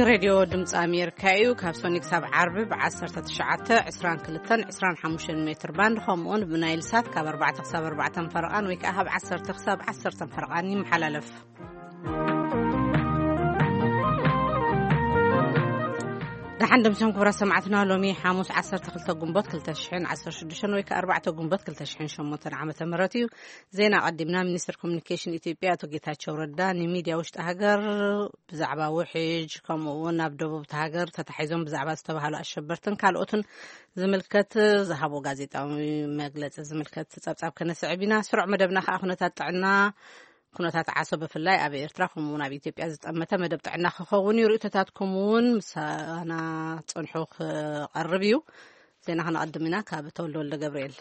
ሬድዮ ድምፂ ኣሜሪካ እዩ። ካብ ሶኒ ክሳብ ዓርቢ ብ19፣ 22፣ 25 ሜትር ባንድ፣ ከምኡውን ብናይል ሳት ካብ ኣርባዕተ ክሳብ ኣርባዕተ ፈረቓን ወይ ከዓ ካብ ዓሰርተ ክሳብ ዓሰርተ ፈረቓን ይመሓላለፍ። ደሓን ደምሰም ክቡራት ሰማዕትና፣ ሎሚ ሓሙስ ዓሰርተ ክልተ ግንቦት ክልተ ሽሕን ዓሰርተ ሽዱሽተን ወይ ከዓ ኣርባዕተ ግንቦት ክልተ ሽሕን ሸሞንተን ዓመተ ምህረት እዩ። ዜና ቀዲምና። ሚኒስትር ኮሚኒኬሽን ኢትዮጵያ ኣቶ ጌታቸው ረዳ ንሚድያ ውሽጢ ሃገር ብዛዕባ ውሕጅ፣ ከምኡ እውን ኣብ ደቡብ እቲ ሃገር ተታሒዞም ብዛዕባ ዝተባህሉ ኣሸበርትን ካልኦትን ዝምልከት ዝሃቦ ጋዜጣዊ መግለጺ ዝምልከት ጸብጻብ ከነስዕብ ኢና። ስሩዕ መደብና ከዓ ኩነታት ጥዕና፣ ኩነታት ዓሶ ብፍላይ ኣብ ኤርትራ ከምኡ እውን ኣብ ኢትዮጵያ ዝጠመተ መደብ ጥዕና ክኸውን እዩ። ርእይቶታትኩም እውን ምሳና ጽንሑ ክቐርብ እዩ። ዜና ክነቐድም ኢና። ካብ ተወልደ ወልደ ገብርኤል።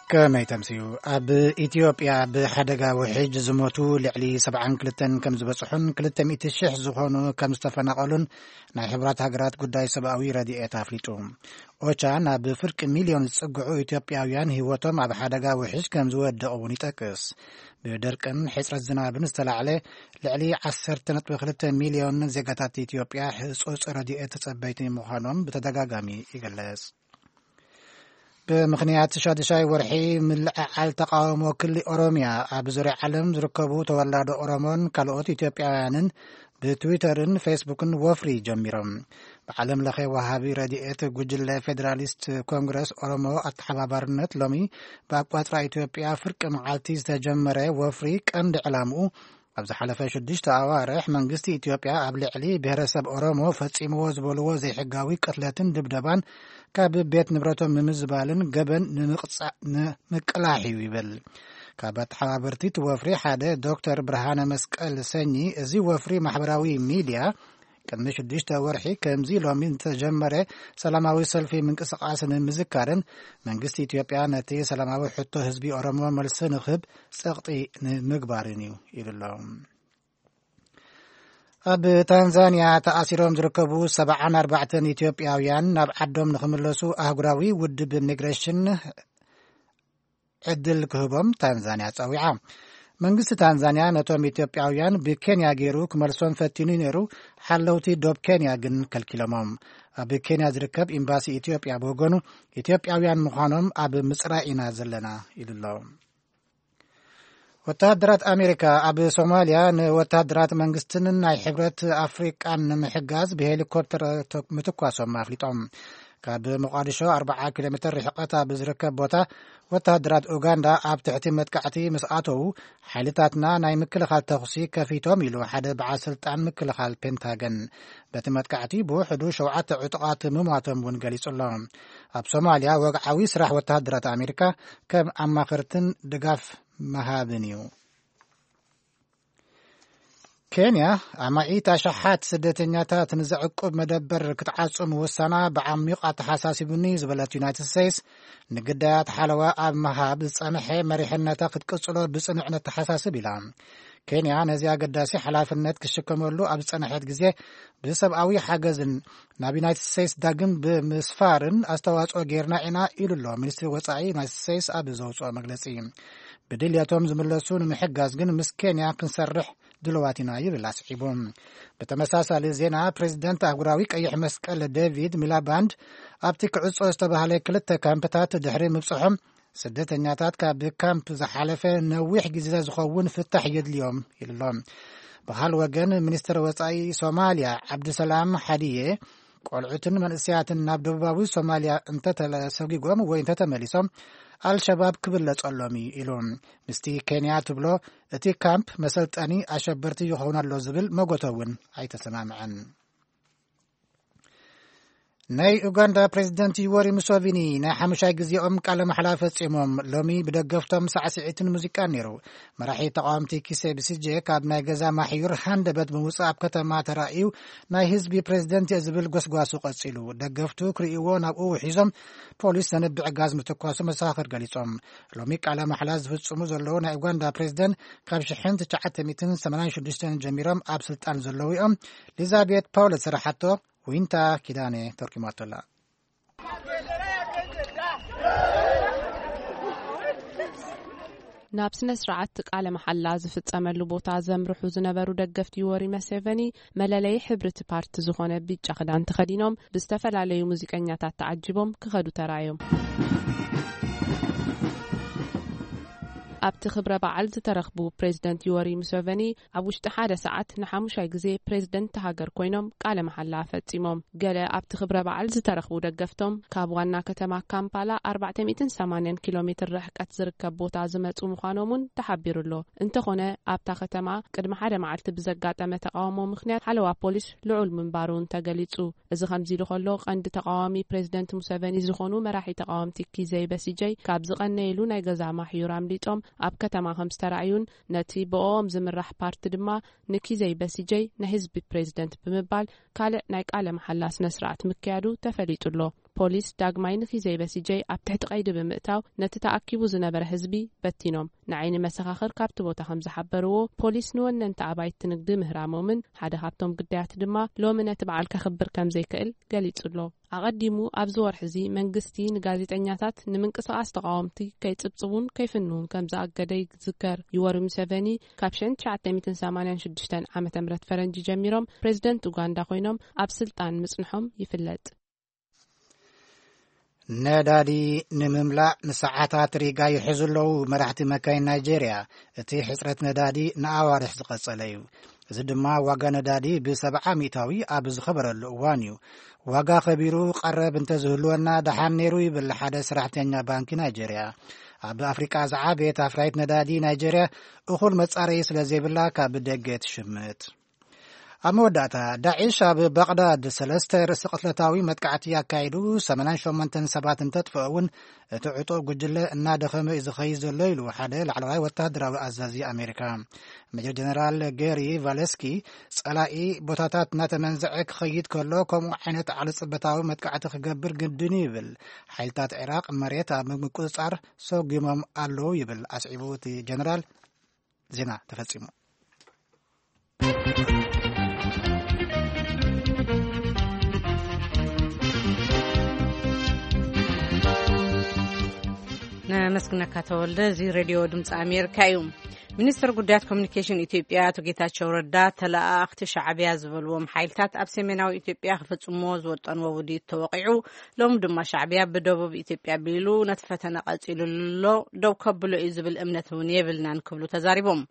ከመይ ተምስዩ? ኣብ ኢትዮጵያ ብሓደጋ ውሕጅ ዝሞቱ ልዕሊ ሰብዓን ክልተን ከም ዝበጽሑን ክልተ ሚእቲ ሽሕ ዝኾኑ ከም ዝተፈናቐሉን ናይ ሕቡራት ሃገራት ጉዳይ ሰብኣዊ ረድኤት ኣፍሊጡ። ኦቻ ናብ ፍርቂ ሚልዮን ዝጽግዑ ኢትዮጵያውያን ህይወቶም ኣብ ሓደጋ ውሕጅ ከም ዝወደቑ እውን ይጠቅስ። ብድርቅን ሕጽረት ዝናብን ዝተላዕለ ልዕሊ ዓሰርተ ነጥቢ ክልተ ሚልዮን ዜጋታት ኢትዮጵያ ህጹጽ ረድኤት ተጸበይቲ ምዃኖም ብተደጋጋሚ ይግለጽ። ብምኽንያት ሻድሻይ ወርሒ ምልዕዓል ተቃውሞ ክሊ ኦሮሚያ፣ ኣብ ዙርያ ዓለም ዝርከቡ ተወላዶ ኦሮሞን ካልኦት ኢትዮጵያውያንን ብትዊተርን ፌስቡክን ወፍሪ ጀሚሮም። ብዓለም ለኸ ወሃቢ ረድኤት ጉጅለ ፌዴራሊስት ኮንግረስ ኦሮሞ ኣተሓባባርነት ሎሚ ብኣቋጽራ ኢትዮጵያ ፍርቂ መዓልቲ ዝተጀመረ ወፍሪ ቀንዲ ዕላምኡ ኣብ ዝሓለፈ ሽዱሽተ ኣዋርሕ መንግስቲ ኢትዮጵያ ኣብ ልዕሊ ብሄረሰብ ኦሮሞ ፈጺምዎ ዝበልዎ ዘይሕጋዊ ቅትለትን ድብደባን ካብ ቤት ንብረቶም ንምዝባልን ገበን ንምቕጻ-፣ ንምቅላሕ እዩ ይብል። ካብ ኣተሓባበርቲ እቲ ወፍሪ ሓደ ዶክተር ብርሃነ መስቀል ሰኚ፣ እዚ ወፍሪ ማሕበራዊ ሚድያ ቅድሚ ሽዱሽተ ወርሒ ከምዚ ሎሚ ዝተጀመረ ሰላማዊ ሰልፊ ምንቅስቃስ ንምዝካርን መንግስቲ ኢትዮጵያ ነቲ ሰላማዊ ሕቶ ህዝቢ ኦሮሞ መልሲ ንክህብ ጸቕጢ ንምግባርን እዩ ኢሉ ኣሎ። ኣብ ታንዛንያ ተኣሲሮም ዝርከቡ ሰብዓን ኣርባዕተን ኢትዮጵያውያን ናብ ዓዶም ንክምለሱ ኣህጉራዊ ውድብ ሚግሬሽን ዕድል ክህቦም ታንዛንያ ጸዊዓ። መንግስቲ ታንዛንያ ነቶም ኢትዮጵያውያን ብኬንያ ገይሩ ክመልሶም ፈቲኑ ነይሩ፣ ሓለውቲ ዶብ ኬንያ ግን ከልኪሎሞም። ኣብ ኬንያ ዝርከብ ኤምባሲ ኢትዮጵያ ብወገኑ፣ ኢትዮጵያውያን ምዃኖም ኣብ ምጽራይ ኢና ዘለና ኢሉ ኣሎ። ወተሃደራት ኣሜሪካ ኣብ ሶማልያ ንወተሃደራት መንግስትን ናይ ሕብረት ኣፍሪቃን ንምሕጋዝ ብሄሊኮፕተር ተ-፣ ምትኳሶም ኣፍሊጦም። ካብ ሞቃዲሾ ኣርብዓ ኪሎ ሜትር ርሕቀት ኣብ ዝርከብ ቦታ ወተሃደራት ኡጋንዳ ኣብ ትሕቲ መጥቃዕቲ ምስ ኣተዉ፣ ሓይልታትና ናይ ምክልኻል ተኹሲ ከፊቶም ኢሉ ሓደ በዓል ስልጣን ምክልኻል ፔንታገን። በቲ መጥቃዕቲ ብውሕዱ ሸውዓተ ዕጡቓት ምሟቶም እውን ገሊጹ ኣሎ። ኣብ ሶማልያ ወግዓዊ ስራሕ ወተሃደራት ኣሜሪካ ከም ኣማኸርትን ድጋፍ ምሃብን እዩ። ኬንያ ኣማኢት ኣሽሓት ስደተኛታት ንዘዕቁብ መደበር ክትዓጹ ምውሳና ብዓሚቕ ኣተሓሳሲቡኒ ዝበለት ዩናይትድ ስቴትስ፣ ንግዳያት ሓለዋ ኣብ ምሃብ ዝጸንሐ መሪሕነታ ክትቅጽሎ ብጽኑዕ ነተሓሳስብ ኢላ። ኬንያ ነዚ ኣገዳሲ ሓላፍነት ክሽከመሉ ኣብ ዝጸንሐት ግዜ፣ ብሰብኣዊ ሓገዝን ናብ ዩናይትድ ስቴትስ ዳግም ብምስፋርን ኣስተዋጽኦ ጌርና ኢና ኢሉ ኣሎ ሚኒስትሪ ወጻኢ ዩናይትድ ስቴትስ ኣብ ዘውጽኦ መግለጺ። ብድልየቶም ዝምለሱ ንምሕጋዝ ግን ምስ ኬንያ ክንሰርሕ ድልዋት ኢና ይብል ኣስዒቡ። ብተመሳሳሊ ዜና፣ ፕሬዚደንት ኣህጉራዊ ቀይሕ መስቀል ዴቪድ ሚላባንድ ኣብቲ ክዕጾ ዝተባህለ ክልተ ካምፕታት ድሕሪ ምብጽሖም፣ ስደተኛታት ካብ ካምፕ ዝሓለፈ ነዊሕ ግዜ ዝኸውን ፍታሕ የድልዮም ኢሉ ኣሎ። ብኻል ወገን፣ ሚኒስትር ወጻኢ ሶማልያ ዓብዱሰላም ሓዲየ፣ ቆልዑትን መንእሰያትን ናብ ደቡባዊ ሶማልያ እንተተሰጒጎም ወይ እንተተመሊሶም፣ ኣልሸባብ ክብለጸሎም እዩ ኢሉ። ምስቲ ኬንያ ትብሎ እቲ ካምፕ መሰልጠኒ ኣሸበርቲ ይኸውን ኣሎ ዝብል መጎተ እውን ኣይተሰማምዐን። ናይ ኡጋንዳ ፕሬዚደንት ዩወሪ ሙሶቪኒ ናይ ሓሙሻይ ግዜኦም ቃለ ማሕላ ፈጺሞም። ሎሚ ብደገፍቶም ሳዕስዒትን ሙዚቃን ነይሩ። መራሒ ተቃወምቲ ኪሴ ብሲጄ ካብ ናይ ገዛ ማሕዩር ሃንደበት ብምውጻእ ኣብ ከተማ ተራእዩ፣ ናይ ህዝቢ ፕሬዚደንት እየ ዝብል ጎስጓሱ ቀጺሉ። ደገፍቱ ክርእይዎ ናብኡ ውሒዞም ፖሊስ ዘንብዕ ጋዝ ምትኳሱ መሰኻኽር ገሊጾም። ሎሚ ቃለ ማሕላ ዝፍጽሙ ዘለዉ ናይ ኡጋንዳ ፕሬዚደንት ካብ ሽሕን ትሽዓተ ሚእትን ሰማንያን ሽዱሽተን ጀሚሮም ኣብ ስልጣን ዘለዉ እዮም። ሊዛቤት ፓውለስ ዝሰራሓቶ ዊንታ ኪዳነ ተርኪማቶ ኣላ። ናብ ስነ ስርዓት ቃለ መሓላ ዝፍጸመሉ ቦታ ዘምርሑ ዝነበሩ ደገፍቲ ዮወሪ መሴቨኒ፣ መለለዪ ሕብሪ እቲ ፓርቲ ዝኾነ ቢጫ ክዳን ተኸዲኖም፣ ብዝተፈላለዩ ሙዚቀኛታት ተዓጂቦም ክኸዱ ተራእዮም። ኣብቲ ክብረ በዓል ዝተረኽቡ ፕሬዚደንት ዮወሪ ሙሴቨኒ፣ ኣብ ውሽጢ ሓደ ሰዓት ንሓሙሻይ ግዜ ፕሬዚደንት ሃገር ኮይኖም ቃለ መሓላ ፈጺሞም። ገለ ኣብቲ ክብረ በዓል ዝተረኽቡ ደገፍቶም፣ ካብ ዋና ከተማ ካምፓላ ኣርባዕተ ሚእትን ሰማንያን ኪሎ ሜትር ርሕቀት ዝርከብ ቦታ ዝመጹ ምዃኖም እውን ተሓቢሩ ኣሎ። እንተኾነ፣ ኣብታ ከተማ ቅድሚ ሓደ መዓልቲ ብዘጋጠመ ተቃውሞ ምኽንያት፣ ሓለዋ ፖሊስ ልዑል ምንባሩ እውን ተገሊጹ። እዚ ከምዚ ኢሉ ከሎ፣ ቀንዲ ተቃዋሚ ፕሬዚደንት ሙሰቨኒ ዝኾኑ መራሒ ተቃወምቲ ኪዘይ በሲጀይ፣ ካብ ዝቐነየሉ ናይ ገዛ ማሕዩር ኣምሊጦም ኣብ ከተማ ከም ዝተራእዩን፣ ነቲ ብኦም ዝምራሕ ፓርቲ ድማ ንኪዘይ በሲጀይ ናይ ህዝቢ ፕሬዚደንት ብምባል ካልእ ናይ ቃለ መሓላ ስነ ስርዓት ምክያዱ ተፈሊጡ ኣሎ። ፖሊስ ዳግማይ ንኪዘይ በሲጀይ ኣብ ትሕቲ ቀይዲ ብምእታው፣ ነቲ ተኣኪቡ ዝነበረ ህዝቢ በቲኖም። ንዓይኒ መሰኻኽር ካብቲ ቦታ ከም ዝሓበርዎ፣ ፖሊስ ንወነንቲ ኣባይቲ ንግዲ ምህራሞምን ሓደ ካብቶም ግዳያት ድማ ሎሚ ነቲ በዓል ከኽብር ከም ዘይክእል ገሊጹ ኣሎ። ኣቐዲሙ ኣብዚ ወርሒ እዚ መንግስቲ ንጋዜጠኛታት ንምንቅስቓስ ተቓወምቲ ከይጽብጽቡን ከይፍንውን ከም ዝኣገደ ይዝከር። ዩወሪ ሙሴቨኒ ካብ ሽሕን ትሽዓተ ሚእትን ሰማንያን ሽዱሽተን ዓመተ ምህረት ፈረንጂ ጀሚሮም ፕሬዚደንት ኡጋንዳ ኮይኖም ኣብ ስልጣን ምጽንሖም ይፍለጥ። ነዳዲ ንምምላእ ንሰዓታት ሪጋ ይሕዙ ኣለዉ መራሕቲ መካይን ናይጄርያ። እቲ ሕጽረት ነዳዲ ንኣዋርሕ ዝቐጸለ እዩ። እዚ ድማ ዋጋ ነዳዲ ብሰብዓ ሚእታዊ ኣብ ዝኸበረሉ እዋን እዩ። ዋጋ ከቢሩ ቀረብ እንተዝህልወና ደሓን ነይሩ ይብል ሓደ ሰራሕተኛ ባንኪ ናይጄርያ። ኣብ ኣፍሪቃ ዝዓበየት ኣፍራይት ነዳዲ ናይጄርያ እኹል መጻረዪ ስለ ዘይብላ ካብ ደገ ትሽምት። ኣብ መወዳእታ፣ ዳዒሽ ኣብ ባቕዳድ ሰለስተ ርእሰ ቅትለታዊ መጥቃዕቲ ኣካይዱ ሰማንያን ሸሞንተን ሰባት እንተጥፍኦ እውን፣ እቲ ዕጡቕ ጉጅለ እናደኸመ እዩ ዝኸይድ ዘሎ ኢሉ ሓደ ላዕለዋይ ወታደራዊ ኣዛዚ ኣሜሪካ። ሜጀር ጀነራል ጌሪ ቫለስኪ፣ ጸላኢ ቦታታት እናተመንዘዐ ክኸይድ ከሎ ከምኡ ዓይነት ዓሊ ጽበታዊ መጥቃዕቲ ክገብር ግድን እዩ ይብል። ሓይልታት ዒራቕ መሬት ኣብ ምቁጽጻር ሰጒሞም ኣለዉ ይብል። ኣስዒቡ እቲ ጀነራል፣ ዜና ተፈጺሙ። ነመስግነካ ተወልደ። እዚ ሬድዮ ድምፂ ኣሜሪካ እዩ። ሚኒስትር ጉዳያት ኮሚኒኬሽን ኢትዮጵያ ኣቶ ጌታቸው ረዳ፣ ተለኣኣኽቲ ሻዕብያ ዝበልዎም ሓይልታት ኣብ ሰሜናዊ ኢትዮጵያ ክፍጽምዎ ዝወጠንዎ ውዲት ተወቒዑ፣ ሎም ድማ ሻዕብያ ብደቡብ ኢትዮጵያ ኣቢሉ ነቲ ፈተነ ቀጺሉ ኣሎ፣ ደው ከብሎ እዩ ዝብል እምነት እውን የብልናን ክብሉ ተዛሪቦም።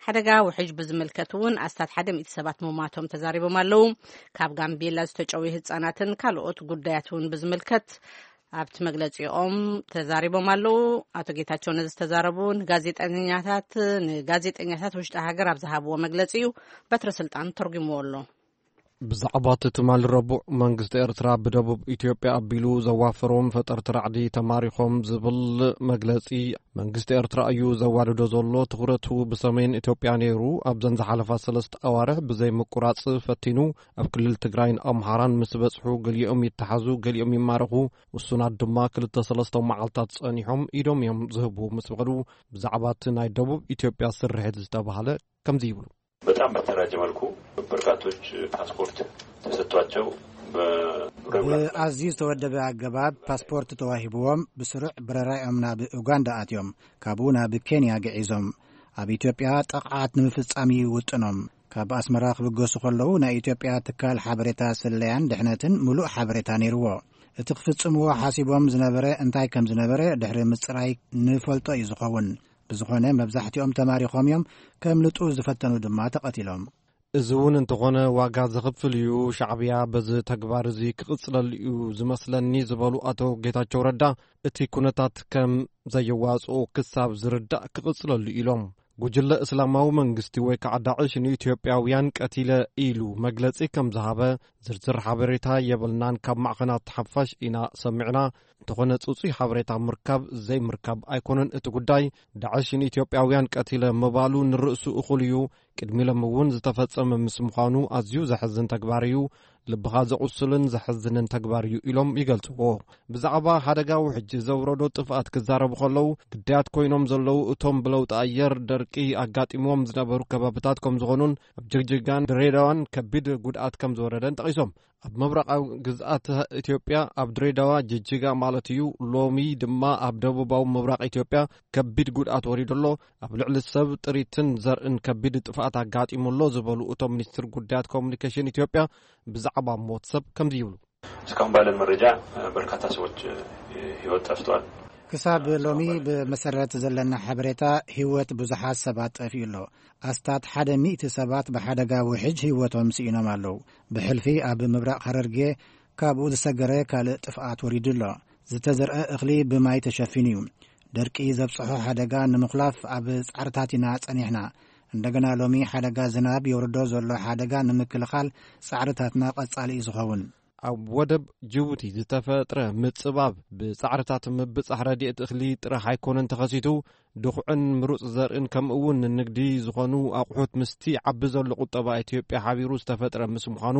ሓደጋ ውሕጅ ብዝምልከት እውን ኣስታት ሓደ ሚእቲ ሰባት ምሟቶም ተዛሪቦም ኣለዉ። ካብ ጋምቤላ ዝተጨውዩ ህጻናትን ካልኦት ጉዳያት እውን ብዝምልከት ኣብቲ መግለጺኦም ተዛሪቦም ኣለዉ። ኣቶ ጌታቸው ነዚ ዝተዛረቡ ንጋዜጠኛታት ንጋዜጠኛታት ውሽጢ ሃገር ኣብ ዝሃብዎ መግለጺ እዩ። በትረ ስልጣን ተርጉምዎ ኣሎ። ብዛዕባ እቲ ትማሊ ረቡዕ መንግስቲ ኤርትራ ብደቡብ ኢትዮጵያ ኣቢሉ ዘዋፈሮም ፈጠርቲ ራዕዲ ተማሪኾም ዝብል መግለጺ፣ መንግስቲ ኤርትራ እዩ ዘዋድዶ ዘሎ። ትኹረቱ ብሰሜን ኢትዮጵያ ነይሩ። ኣብዘን ዝሓለፋ ሰለስተ ኣዋርሕ ብዘይምቁራጽ ፈቲኑ። ኣብ ክልል ትግራይን ኣምሓራን ምስ በጽሑ፣ ገሊኦም ይተሓዙ፣ ገሊኦም ይማረኹ። ውሱናት ድማ ክልተ ሰለስተ መዓልታት ጸኒሖም ኢዶም እዮም ዝህቡ ምስ በሉ፣ ብዛዕባ እቲ ናይ ደቡብ ኢትዮጵያ ስርሒት ዝተባህለ ከምዚ ይብሉ። በጣም በተደራጀ መልኩ በርካቶች ፓስፖርት ተሰጥቷቸው በ- ብኣዝዩ ዝተወደበ ኣገባብ ፓስፖርት ተዋሂብዎም ብስሩዕ በረራኦም ናብ ኡጋንዳ ኣትዮም፣ ካብኡ ናብ ኬንያ ግዒዞም። ኣብ ኢትዮጵያ ጥቕዓት ንምፍጻም እዩ ውጥኖም። ካብ ኣስመራ ክብገሱ ከለዉ ናይ ኢትዮጵያ ትካል ሓበሬታ ስለያን ድሕነትን ምሉእ ሓበሬታ ነይርዎ። እቲ ክፍጽምዎ ሓሲቦም ዝነበረ እንታይ ከም ዝነበረ ድሕሪ ምጽራይ ንፈልጦ እዩ ዝኸውን። ብዝኾነ መብዛሕትኦም ተማሪኾም እዮም፣ ከምልጡ ዝፈተኑ ድማ ተቐቲሎም። እዚ እውን እንተኾነ ዋጋ ዘኽፍል እዩ። ሻዕብያ በዚ ተግባር እዚ ክቕጽለሉ እዩ ዝመስለኒ ዝበሉ ኣቶ ጌታቸው ረዳ፣ እቲ ኩነታት ከም ዘየዋጽኦ ክሳብ ዝርዳእ ክቕጽለሉ ኢሎም። ጉጅለ እስላማዊ መንግስቲ ወይ ከዓ ዳዕሽ ንኢትዮጵያውያን ቀቲለ ኢሉ መግለጺ ከም ዝሃበ ዝርዝር ሓበሬታ የብልናን። ካብ ማዕኸናት ሓፋሽ ኢና ሰሚዕና። እንተኾነ ጽጹይ ሓበሬታ ምርካብ ዘይምርካብ ኣይኮነን እቲ ጉዳይ። ዳዕሽ ንኢትዮጵያውያን ቀቲለ ምባሉ ንርእሱ እኹል እዩ። ቅድሚ ሎም እውን ዝተፈጸመ ምስ ምዃኑ ኣዝዩ ዘሕዝን ተግባር እዩ። ልብኻ ዘቑስልን ዘሕዝንን ተግባር እዩ ኢሎም ይገልጽዎ። ብዛዕባ ሓደጋ ውሕጅ ዘውረዶ ጥፍኣት ክዛረቡ ከለዉ፣ ግዳያት ኮይኖም ዘለዉ እቶም ብለውጢ ኣየር ደርቂ ኣጋጢምዎም ዝነበሩ ከባብታት ከም ዝኾኑን ኣብ ጅግጅጋን ድሬዳዋን ከቢድ ጉድኣት ከም ዝወረደን ጠቒሶም። ኣብ ምብራቓዊ ግዝኣት ኢትዮጵያ፣ ኣብ ድሬዳዋ፣ ጅጅጋ ማለት እዩ፣ ሎሚ ድማ ኣብ ደቡባዊ ምብራቕ ኢትዮጵያ ከቢድ ጉድኣት ወሪዱ ኣሎ። ኣብ ልዕሊ ሰብ፣ ጥሪትን ዘርእን ከቢድ ጥፍኣት ኣጋጢሙ ኣሎ ዝበሉ እቶም ሚኒስትር ጉዳያት ኮሙኒኬሽን ኢትዮጵያ፣ ብዛዕባ ሞት ሰብ ከምዚ ይብሉ። እስካሁን ባለን መረጃ በርካታ ሰዎች ህይወት ጠፍቷል። ክሳብ ሎሚ ብመሰረት ዘለና ሓበሬታ፣ ህይወት ብዙሓት ሰባት ጠፊኡ ኣሎ። ኣስታት ሓደ ሚእቲ ሰባት ብሓደጋ ውሕጅ ህይወቶም ስኢኖም ኣለዉ። ብሕልፊ ኣብ ምብራቕ ሃረርጌ ካብኡ ዝሰገረ ካልእ ጥፍኣት ወሪዱ ኣሎ። ዝተዘርአ እኽሊ ብማይ ተሸፊኑ እዩ። ደርቂ ዘብጽሖ ሓደጋ ንምኹላፍ ኣብ ጻዕርታት ኢና ጸኒሕና። እንደገና ሎሚ ሓደጋ ዝናብ የውርዶ ዘሎ ሓደጋ ንምክልኻል ጻዕርታትና ቀጻሊ እዩ ዝኸውን። ኣብ ወደብ ጅቡቲ ዝተፈጥረ ምጽባብ፣ ብጻዕርታት ምብጻሕ ረድኤት እኽሊ ጥራሕ ኣይኮነን ተኸሲቱ፣ ድኹዕን ምሩጽ ዘርእን ከምኡ እውን ንንግዲ ዝኾኑ ኣቑሑት ምስቲ ዓቢ ዘሎ ቁጠባ ኢትዮጵያ ሓቢሩ ዝተፈጥረ ምስ ምዃኑ፣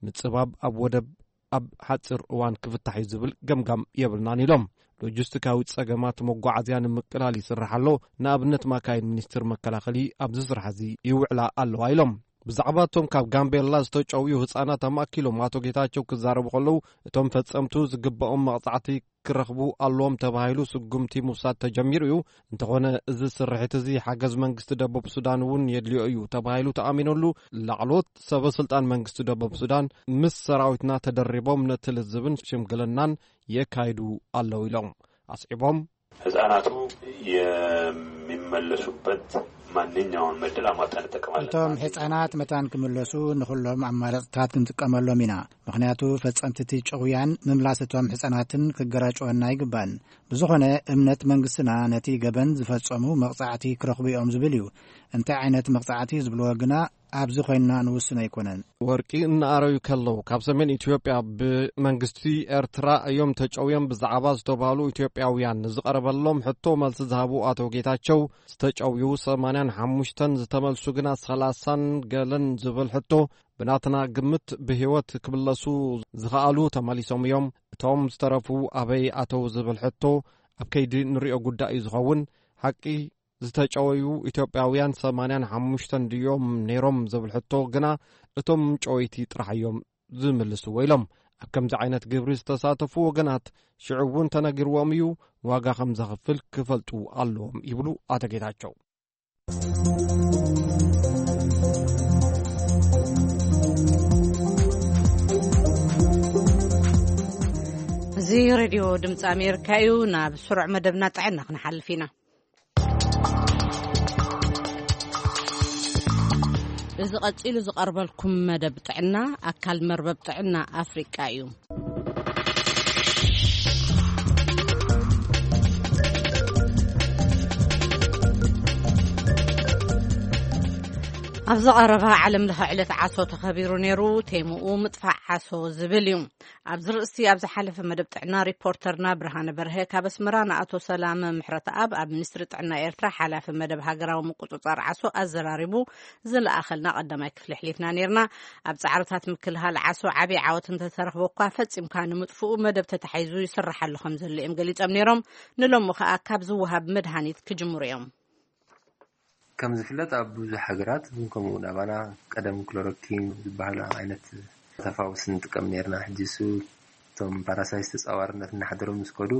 ምጽባብ ኣብ ወደብ ኣብ ሓጺር እዋን ክፍታሕ እዩ ዝብል ገምጋም የብልናን ኢሎም። ሎጂስቲካዊ ጸገማት መጓዓዝያ ንምቅላል ይስራሕ ኣሎ። ንኣብነት፣ ማካይን ሚኒስትር መከላኸሊ ኣብዚ ስራሕ እዚ ይውዕላ ኣለዋ ኢሎም። ብዛዕባ እቶም ካብ ጋምቤላ ዝተጨውዩ ህጻናት ኣማእኪሎም ኣቶ ጌታቸው ክዛረቡ ከለዉ፣ እቶም ፈጸምቱ ዝግባኦም መቕጻዕቲ ክረኽቡ ኣለዎም ተባሂሉ ስጉምቲ ምውሳድ ተጀሚሩ እዩ። እንተኾነ፣ እዚ ስርሒት እዚ ሓገዝ መንግስቲ ደቡብ ሱዳን እውን የድልዮ እዩ ተባሂሉ ተኣሚኑሉ። ላዕለዎት ሰበ ስልጣን መንግስቲ ደቡብ ሱዳን ምስ ሰራዊትና ተደሪቦም ነቲ ልዝብን ሽምግልናን የካይዱ ኣለዉ ኢሎም። ኣስዒቦም፣ ህጻናቱ የሚመለሱበት ማንኛውን ዕድል አሟጠን እንጠቀማለን። እቶም ህጻናት መታን ክምለሱ ንኹሎም ኣማራጽታት ክንጥቀመሎም ኢና። ምኽንያቱ፣ ፈጸምቲ እቲ ጭውያን ምምላስ እቶም ህጻናትን ክገራጭወና ኣይግባን። ብዝኾነ፣ እምነት መንግስትና ነቲ ገበን ዝፈጸሙ መቕጻዕቲ ክረኽቡ እዮም ዝብል እዩ። እንታይ ዓይነት መቕጻዕቲ ዝብልዎ ግና ኣብዚ ኮይንና ንውስኖ ኣይኮነን። ወርቂ እናኣረዩ ከለዉ፣ ካብ ሰሜን ኢትዮጵያ ብመንግስቲ ኤርትራ እዮም ተጨውዮም ብዛዕባ ዝተባህሉ ኢትዮጵያውያን ንዝቐረበሎም ሕቶ መልሲ ዝሃቡ ኣቶ ጌታቸው፣ ዝተጨውዩ ሰማንያን ሓሙሽተን ዝተመልሱ ግና ሰላሳን ገለን ዝብል ሕቶ፣ ብናትና ግምት ብህይወት ክምለሱ ዝኸኣሉ ተመሊሶም እዮም። እቶም ዝተረፉ ኣበይ ኣተው ዝብል ሕቶ፣ ኣብ ከይዲ ንሪኦ ጉዳይ እዩ ዝኸውን። ሓቂ ዝተጨወዩ ኢትዮጵያውያን ሰማንያን ሓሙሽተን ድዮም ነይሮም ዝብል ሕቶ ግና፣ እቶም ጨወይቲ ጥራሕ እዮም ዝምልስዎ ኢሎም። ኣብ ከምዚ ዓይነት ግብሪ ዝተሳተፉ ወገናት ሽዑ እውን ተነጊርዎም እዩ፣ ዋጋ ከም ዘኽፍል ክፈልጡ ኣለዎም ይብሉ ኣቶ ጌታቸው። እዚ ሬድዮ ድምፂ ኣሜሪካ እዩ። ናብ ስሩዕ መደብና ጥዕና ክንሓልፍ ኢና። እዚ ቀጺሉ ዝቐርበልኩም መደብ ጥዕና፣ ኣካል መርበብ ጥዕና ኣፍሪቃ እዩ። ኣብዚ ቀረባ ዓለም ለኸ ዕለት ዓሶ ተኸቢሩ ነይሩ። ቴምኡ ምጥፋእ ዓሶ ዝብል እዩ። ኣብዚ ርእሲ ኣብ ዝሓለፈ መደብ ጥዕና፣ ሪፖርተርና ብርሃነ በርሀ ካብ ኣስመራ ንኣቶ ሰላመ ምሕረተኣብ፣ ኣብ ሚኒስትሪ ጥዕና ኤርትራ ሓላፊ መደብ ሃገራዊ ምቁጽጻር ዓሶ ኣዘራሪቡ ዝለኣኸልና ቀዳማይ ክፍሊ ኣሕሊፍና ነይርና። ኣብ ጻዕርታት ምክልኻል ዓሶ ዓቢ ዓወት እንተተረኽቦ እኳ፣ ፈጺምካ ንምጥፍኡ መደብ ተታሒዙ ይስርሓሉ ከም ዘሎ እዮም ገሊጾም ነይሮም። ንሎሚ ከኣ ካብ ዝወሃብ መድሃኒት ክጅምሩ እዮም። ከም ዝፍለጥ፣ ኣብ ብዙሕ ሃገራት፣ ከምኡ እውን ኣባና፣ ቀደም ክሎሮኪን ዝበሃል ዓይነት ተፋውስ ንጥቀም ነይርና። ሕጂ እሱ፣ እቶም ፓራሳይት ተጻዋርነት እናሓደሮም ምስ ከዱ፣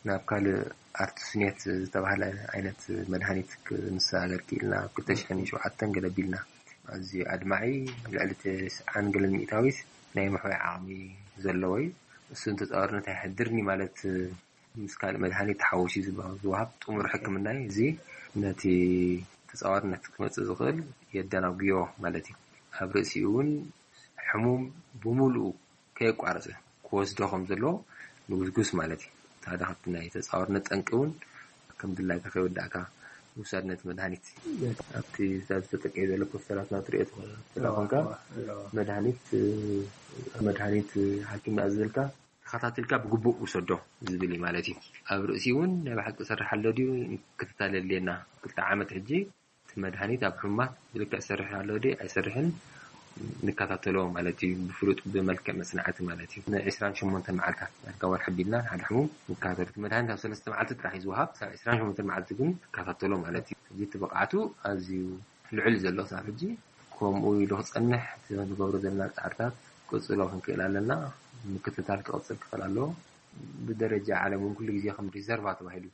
ናብ ካልእ ኣርቱስኔት ዝተባህለ ዓይነት መድሃኒት ክንሰጋገር ክኢልና፣ ኣብ ክልተ ሽሕን ሸውዓተን ገለ ቢልና። ኣዝዩ ኣድማዒ፣ ልዕሊ ተስዓን ገለን ሚእታዊት ናይ ምሕዋይ ዓቕሚ ዘለዎ እዩ። እሱ ንተጻዋርነት ኣይሕድርን እዩ ማለት፣ ምስ ካልእ መድሃኒት ተሓዊሱ ዝባ-፣ ዝወሃብ ጥሙር ሕክምና እዩ። እዚ ነቲ ተጻዋርነት ክመጽእ ዝኽእል የደናጉዮ ማለት እዩ። ኣብ ርእሲኡ እውን ሕሙም ብምሉኡ ከየቋረጸ ክወስዶ ከም ዘለዎ ንጉስጉስ ማለት እዩ። እቲ ሓደ ካብቲ ናይ ተጻዋርነት ጠንቂ እውን ከም ድላይካ ከይወዳእካ ምውሳድ ነቲ መድሃኒት። ኣብቲ እዛ ዝተጠቀየ ዘሎ ፖስተራት ናብ ትሪኦ ትኽእል። ስለ ኮንካ መድሃኒት፣ መድሃኒት ሓኪም ዝኣዘዘልካ ተኸታቲልካ ብግቡእ ውሰዶ ዝብል እዩ ማለት እዩ። ኣብ ርእሲ እውን ናይ ብሓቂ ይሰርሕ ኣሎ ድዩ ክትታለል የድልየና። ክልተ ዓመት ሕጂ እቲ መድሃኒት ኣብ ሕሙማት ብልክዕ ይሰርሕ ኣሎ ድዩ ኣይሰርሕን ንከታተሎ ማለት እዩ። ብፍሉጥ ብመልክዕ መጽናዕቲ ማለት እዩ። ን ዕስራን ሸሞንተን መዓልታት፣ ዳርጋ ወርሒ ኣቢልና ሓደ ሕሙም ንከታተሎ። እቲ መድሃኒት ኣብ ሰለስተ መዓልቲ ጥራሕ እዩ ዝወሃብ። ክሳብ ዕስራን ሸሞንተን መዓልቲ ግን ንከታተሎ ማለት እዩ። ሕጂ እቲ ብቕዓቱ ኣዝዩ ልዑል ዘሎ ክሳብ ሕጂ። ከምኡ ኢሉ ክጸንሕ እቲ ንገብሮ ዘለና ጻዕርታት ክቕጽሎ ክንክእል ኣለና። ምክትታል ክቕጽል ክኽእል ኣለዎ። ብደረጃ ዓለም እውን ኩሉ ግዜ ከም ሪዘርቫ ተባሂሉ፣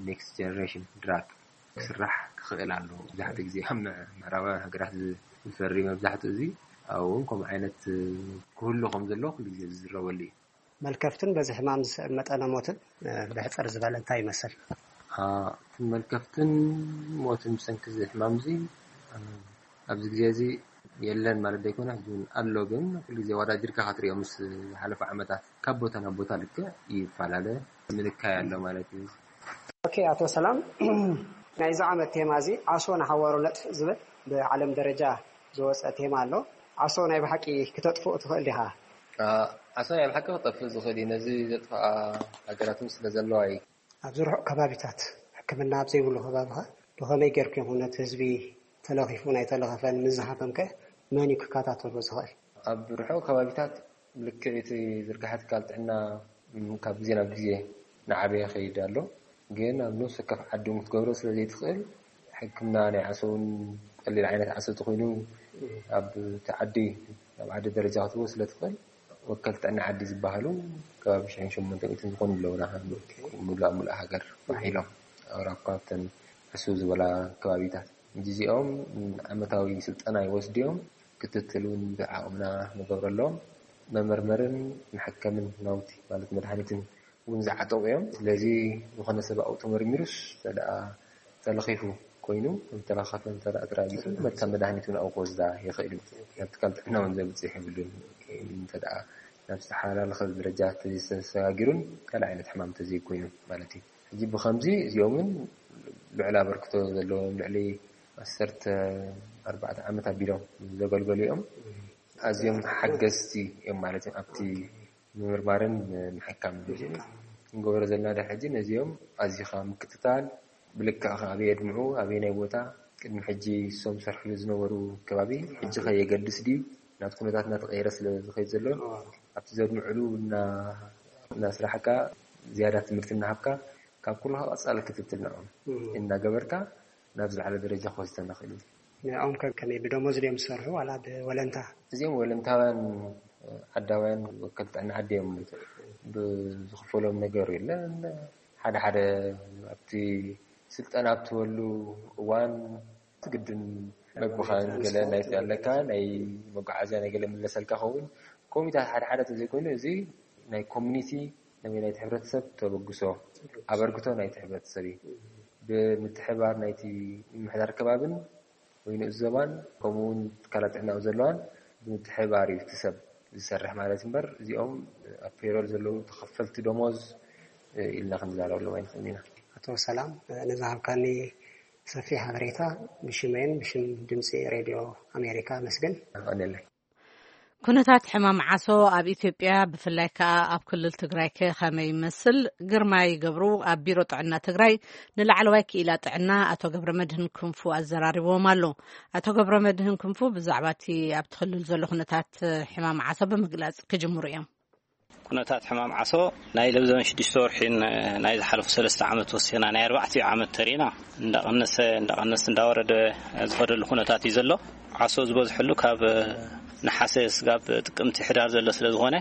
ኔክስት ጀነሬሽን ድራግ ክስራሕ ክኽእል ኣለዎ። መብዛሕትኡ ግዜ ኣብ ምዕ- ምዕራባውያን ሃገራት ዝ- ዝፈሪ መብዛሕትኡ እዚ ኣብኡ እውን ከምኡ ዓይነት ክህሉ ከም ዘለዎ ኩሉ ግዜ ዝዝረበሉ እዩ። መልከፍትን በዚ ሕማም ዝስዕብ መጠነ ሞትን ብሕፅር ዝበለ እንታይ ይመስል? እቲ መልከፍትን ሞትን ብሰንኪ እዚ ሕማም እዚ ኣብዚ ግዜ እዚ የለን ማለት ዘይኮነ፣ ሕጂ እውን ኣሎ። ግን ኩሉ ግዜ ወዳጅርካ ክትሪኦ ምስ ዝሓለፉ ዓመታት ካብ ቦታ ናብ ቦታ ልክዕ ይፈላለ፣ ምንካይ ኣሎ ማለት እዩ። ኦኬ፣ ኣቶ ሰላም፣ ናይዚ ዓመት ቴማ እዚ ዓሶ ንሓዋሩ ነጥፍእ ዝብል ብዓለም ደረጃ ዝወፀ ቴማ ኣሎ። ዓሶ ናይ ብሓቂ ክተጥፍኡ ትኽእል ዲኻ? ዓሶ ናይ ብሓቂ ክጠፍእ ዝኽእል እዩ። ነዚ ዘጥፍኣ ሃገራት እውን ስለ ዘለዋ እዩ። ኣብዚ ርሑቕ ከባቢታት ሕክምና ኣብ ዘይብሉ ከባቢኻ ብኸመይ ጌርኩም ኢኹም ነቲ ህዝቢ ተለኺፉ ናይ ተለኸፈን ምስ ዝሃመም ከ መን እዩ ክከታተሎ ዝኽእል? ኣብ ርሑቕ ከባቢታት ልክዕ እቲ ዝርግሐ ትካል ጥዕና ካብ ግዜ ናብ ግዜ እናዓበየ ይኸይድ ኣሎ። ግን ኣብ ነፍሲ ወከፍ ዓዲ እውን ክትገብሮ ስለ ዘይትኽእል ሕክምና ናይ ዓሶ እውን ቀሊል ዓይነት ዓሶ ተኾይኑ ኣብ እቲ ዓዲ ኣብ ዓዲ ደረጃ ክትህቦ ስለ ትኽእል ወከልቲ ጥዕና ዓዲ ዝበሃሉ ከባቢ ሽሕን ሸሞንተ ሚእትን ዝኾኑ ኣለውና። ሙሉእ ሙሉእ ሃገር ባሕ ኢሎም ኣብ ራኳብተን ዕስብ ዝበላ ከባቢታት እዚኦም ዓመታዊ ስልጠና ይወስዱ እዮም። ክትትል እውን ብዓቕምና ንገብረሎም መመርመርን መሐከምን ናውቲ ማለት መድሃኒትን እውን ዝዓጠቑ እዮም። ስለዚ ዝኾነ ሰብ ኣብኡ ተመርሚሩስ ተደኣ ተለኺፉ ኮይኑ ተለኻፈን ተደኣ ተራጊፉ መታ መድሃኒት እውን ኣብኡ ክወስዳ ይኽእል እዩ። ናብ ትካል ጥዕና እውን ዘብፅሕ የብሉን። ተደኣ ናብ ዝተሓላለኸ ደረጃ ተሰጋጊሩን ካልእ ዓይነት ሕማም ተዘይኮይኑ ማለት እዩ። ሕጂ ብኸምዚ እዚኦምን ልዕሊ ኣበርክቶ ዘለዎም ልዕሊ ዓሰርተ ኣርባዕተ ዓመት ኣቢሎም ዘገልገሉ እዮም። ኣዝዮም ሓገዝቲ እዮም ማለት እዮም ኣብቲ ምምርማርን ምሕካም ክንገብሮ ዘለና ዳ ሕጂ ነዚኦም ኣዚኻ ምክትታል ብልክዕ ከ ኣበይ የድምዑ ኣበይ ናይ ቦታ ቅድሚ ሕጂ እሶም ሰርሕሉ ዝነበሩ ከባቢ ሕጂ ከ የገድስ ድዩ ናብቲ ኩነታት እናተቀየረ ስለ ዝኸይድ ዘሎ ኣብቲ ዘድምዕሉ እናስራሕካ ዝያዳ ትምህርቲ እናሃብካ ካብ ኩሉ ቀፃሊ ክትትል ንዕኦም እናገበርካ ናብ ዝለዓለ ደረጃ ክወስደና ክእል እዩ። ንዕኦም ከ ከመይ ብደሞዝ ድዮም ዝሰርሑ ዋላ ብወለንታ? እዚኦም ወለንታውያን ዓዳውያን ወከልቲ ጥዕና ዓዲ እዮም። ብዝኽፈሎም ነገር የለን። ሓደ ሓደ ኣብቲ ስልጠና ኣብትበሉ እዋን ትግድን መግብኻን ገለ ናይ ኣለካ ናይ መጓዓዝያ ናይ ገለ ምለሰልካ ኸውን ኮሚታት ሓደ ሓደ ተዘይኮይኑ እዚ ናይ ኮሚኒቲ ናይ ናይቲ ሕብረተሰብ ተበግሶ ኣበርክቶ ናይቲ ሕብረተሰብ እዩ። ብምትሕባር ናይቲ ምምሕዳር ከባብን ወይ ንኡስ ዘባን ከምኡ እውን ትካላት ጥዕና ኣብ ዘለዋን ብምትሕባር እዩ እቲ ሰብ ዝሰርሕ ማለት እምበር እዚኦም ኣብ ፔሮል ዘለዉ ተኸፈልቲ ደሞዝ ኢልና ክንዛረበሎም ኣይንኽእልን ኢና። ኣቶ ሰላም ንዝሃብካኒ ሰፊሕ ሓበሬታ ብሽመይን ብሽም ድምፂ ሬድዮ ኣሜሪካ ኣመስግን። ኣቐንየለይ። ኩነታት ሕማም ዓሶ ኣብ ኢትዮጵያ ብፍላይ ከኣ ኣብ ክልል ትግራይ ከ ከመይ ይመስል? ግርማይ ገብሩ ኣብ ቢሮ ጥዕና ትግራይ ንላዕለዋይ ክኢላ ጥዕና ኣቶ ገብረመድህን ክንፉ ኣዘራሪብዎም ኣሎ። ኣቶ ገብረመድህን ክንፉ ብዛዕባ እቲ ኣብቲ ክልል ዘሎ ኩነታት ሕማም ዓሶ ብምግላጽ ክጅምሩ እዮም። ኩነታት ሕማም ዓሶ ናይ ለብዘበን ሽዱሽተ ወርሒን ናይ ዝሓለፉ ሰለስተ ዓመት ወሲኽና ናይ ኣርባዕቲኡ ዓመት ተሪእና እንዳቐነሰ እንዳቐነስ እንዳወረደ ዝኸደሉ ኩነታት እዩ ዘሎ። ዓሶ ዝበዝሐሉ ካብ ነሓሰ ስጋብ ጥቅምቲ ሕዳር ዘሎ ስለ ዝኾነ